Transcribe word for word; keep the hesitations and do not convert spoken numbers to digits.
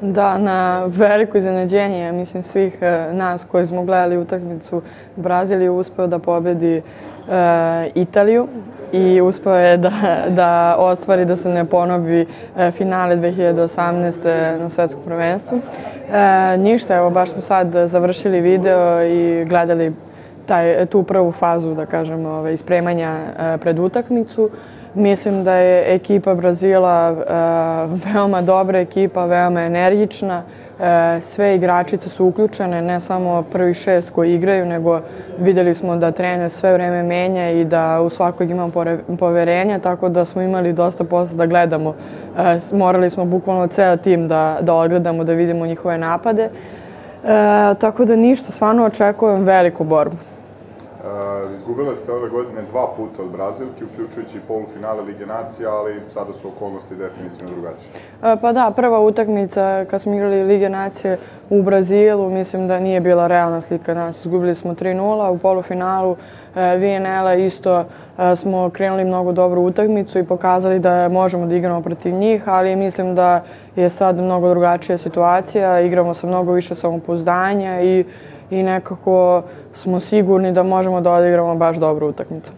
Da, na veliko iznenađenje, mislim, svih nas koji smo gledali utakmicu, Brazil je uspeo da pobedi Italiju i uspeo je da, da ostvari da se ne ponovi finale dve hiljade osamnaeste. na svetskom prvenstvu. E, ništa, evo, baš smo sad završili video i gledali taj, tu prvu fazu, da kažem, ove, ispremanja pred utakmicu. Mislim da je ekipa Brazila e, veoma dobra ekipa, veoma energična. E, sve igračice su uključene, ne samo prvi šest koji igraju, nego videli smo da trener sve vreme menja i da u svakog imam poverenja, tako da smo imali dosta posla da gledamo. E, morali smo bukvalno ceo tim da, da odgledamo, da vidimo njihove napade. E, tako da ništa, stvarno očekujem veliku borbu. Izgubile ste ove godine dva puta od Brazilki, uključujući i polufinale Lige nacija, ali sada su okolnosti definitivno drugačije. Pa da, prva utakmica kad smo igrali Lige nacije u Brazilu, mislim da nije bila realna slika nas. Izgubili smo tri nula, u polufinalu V N L-a isto smo krenuli mnogo dobru utakmicu i pokazali da možemo da igramo protiv njih, ali mislim da je sad mnogo drugačija situacija, igramo sa mnogo više samopouzdanja i i nekako smo sigurni da možemo da odigramo baš dobru utakmicu.